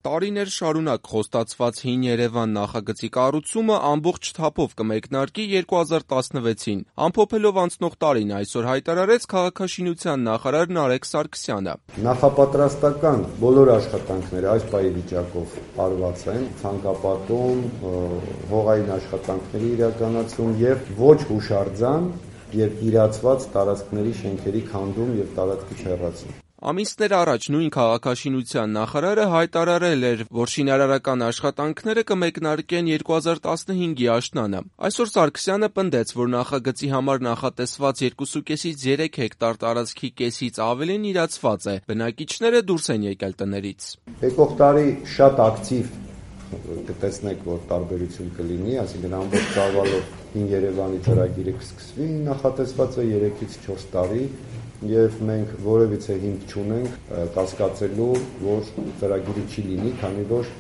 Տարիներ շարունակ խոստացված Հին Երևան նախագծի կառուցումը ամբողջ թափով կմեկնարկի 2016-ին, ամփոփելով անցնող տարին, այսօր հայտարարեց քաղաքաշինության նախարար Նարեկ Սարգսյանը։ Նախապատրաստական բոլոր աշխատանքները այս պահի վիճակով արված են, ցանկապատում, հողային աշխատանքների իրականացում եւ ոչ հուշարձան եւ իրացված տարածքների շենքերի քանդում եւ տարածքի հեռացում։ Ամիսներ առաջ նույն քաղաքաշինության նախարարը հայտարարել էր, որ շինարարական աշխատանքները կմեկնարկեն 2015-ի աշնանը։ Այսօր Սարգսյանը պնդեց, որ նախագծի համար նախատեսված 2,5-ից 3 հեկտար տարածքի կեսից ավելին իրացված է, բնակիչները դուրս են եկել տներից։ Եկող տարի շատ ակտիվ կտեսնեք, որ տարբերություն կլինի, այսինքն ամբողջ ծավալով Հին Երևանի ծրագիրը կսկսվի, նախատեսված է 3-ից 4 տարի, եւ մենք որևիցե հիմք չունենք կասկածելու, որ ծրագիրը չի լինի, քանի որ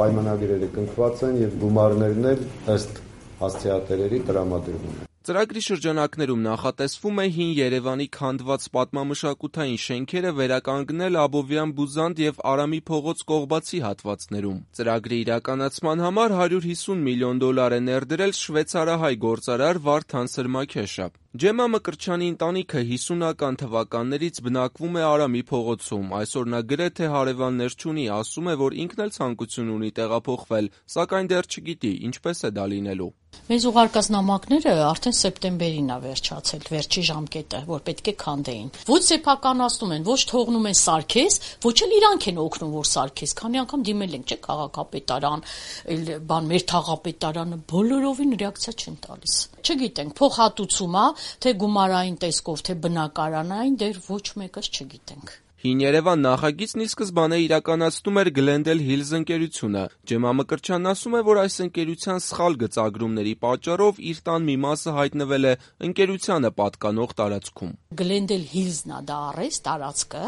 պայմանագրերը կնքված են եւ գումարներն էլ ըստ հասցեատերերի տրամադրվում են։ Ծրագրի շրջանակներում նախատեսվում է Հին Երևանի քանդված պատմամշակութային շենքերը վերականգնել Աբովյան Բուզանդ եւ Արամի փողոց կողբացի հատվածներում։ Ծրագրի իրականացման համար $150 միլիոն է ներդրել շվեյցարահայ գործարար Վարդան Սրմաքեշը։ Ջեմա Մկրտչյանի ընտանիքը 50-ական թվականներից բնակվում է Արամի փողոցում, այսօր նա գրեթե հարևաններ չունի, ասում է, որ ինքն էլ ցանկություն ունի տեղափոխվել, սակայն դեռ չգիտի ինչպես է դա լինելու։ Մեզ ուղարկած նամակները արդեն սեպտեմբերին է վերջացել, վերջի ժամկետը, որ պետք է քանդեին։ Ոչ սեփականացնում են, ոչ թողնում են սարքես, ոչ էլ իրանք են օգնում, որ սարքես։ Քանի անգամ դիմել ենք, չէ՞, քաղաքապետարան, մեր թաղապետարանը բոլորովին ռեակցիա չեն տալիս։ Չգիտենք, փոխհատուցում է, թե գումարային տեսքով, թե բնակարանային, դեռ ոչ մեկս չգիտենք։ Հին Երևան նախագիծն ի սկզբանե իրականացնում էր Glendale Hills ընկերությունը։ Ջեմա Մկրտչյանն ասում է, որ այս ընկերության սխալ գծագրումների պատճառով իր տան մի մասը հայտնվել է ընկերությանը պատկանող տարածքում։ Glendale Hills-ն է դա առես տարածքը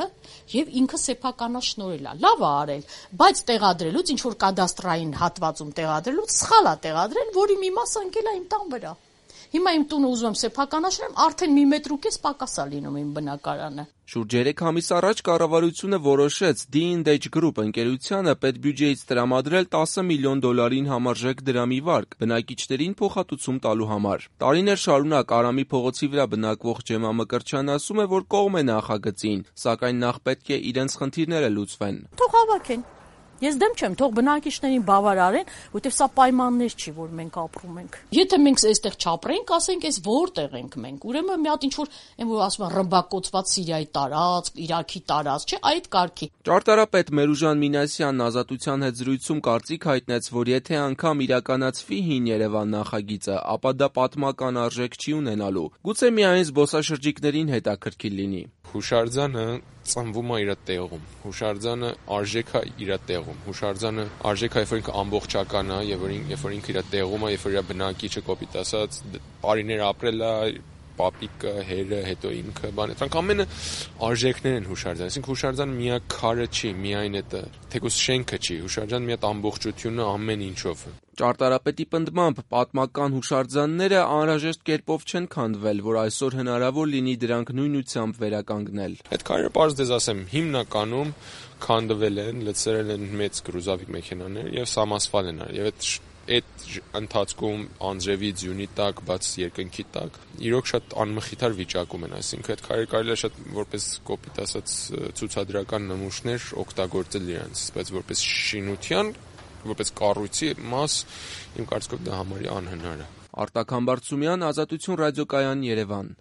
եւ ինքը սեփականաշնորհել է։ Լավ է արել, բայց տեղադրելուց ինչ որ կադաստրային հատվածում տեղադրելուց սխալ է տեղադրել, որի մի մասը ընկել է իմ տան վրա։ Հիմա իմ տունը ուզում եմ սեփականաշնորհեմ, արդեն 1.5 մետր պակաս է լինում իմ բնակարանը։ Շուրջ 3 ամիս առաջ կառավարությունը որոշեց D&H Group ընկերությանը պետբյուջեից տրամադրել $10 միլիոն համարժեք դրամի վարկ բնակիչներին փոխհատուցում տալու համար։ Տարիներ շարունակ Արամի փողոցի վրա բնակվող Ջեմա Մկրտչյանն ասում է, որ կողմ է նախագծին, սակայն նախ պետք է իրենց խնդիրները լուծվեն։ Թող հավաքեն։ Ես դեմ չեմ, թող բնակիչներին բավարարեն, որտեղ սա պայմաններ չի, որ մենք ապրում ենք։ Եթե մենք այստեղ չապրենք, ասենք, այս որտեղ ենք մենք։ Ուրեմն մի հատ ինչ որ, այն որ ասում են ռմբակոծված Սիրիայի տարածք, Իրաքի տարածք, չէ, այդ կարգի։ Ճարտարապետ Մերուժան Մինասյանն Ազատության հետ զրույցում կարծիք հայտնեց, որ եթե անգամ իրականացվի Հին Երևան նախագիծը, ապա դա պատմական արժեք չի ունենալու։ Գուցե միայն զբոսաշրջիկներին հետաքրքիր լինի։ Հուշարձանը ծնվում է իր տեղում, հուշարձանը արժեք է իր տեղում, հուշարձանը արժեք է, երբ որ ինքը ամբողջական է, երբ որ ինքը իր տեղում է, երբ որ իր բնակիչը կոպիտ ասած տարիներ ապրել է, պապիկը, հերը, հետո ինքը, դրանք ամենը արժեքներ են հուշարձան, այսինքն հուշարձանը միակ քարը չի, միայն այդ թեկուզ շենքը չի, հուշարձանը մի հատ ամբողջությունը ամեն ինչով։ Ճարտարապետի պնդմամբ պատմական հուշարձանները անհրաժեշտ կերպով չեն քանդվել, որ այսօր հնարավոր լինի դրանք նույնությամբ վերականգնել։ Այդ քարերը պարզ դες ասեմ, հիմնականում քանդվել են, լցրել են մեծ գրուզավիկ մեքենաներ եւ սամասվալ են արել։ Եվ այդ ընթացքում անձրևի ձյունի տակ, բաց երկնքի տակ, իրոք շատ անմխիթար վիճակում են, այսինքն այդ քարերը կարելի է շատ որպես կոպիտ ասած ցուցադրական նմուշներ օգտագործել իրենց, բայց որպես շինության, որպես կառույցի մաս, իմ կարծիքով դա համարյա անհնար է։ Արտակ Համբարձումյան, Ազատություն ռադիոկայան, Երևան։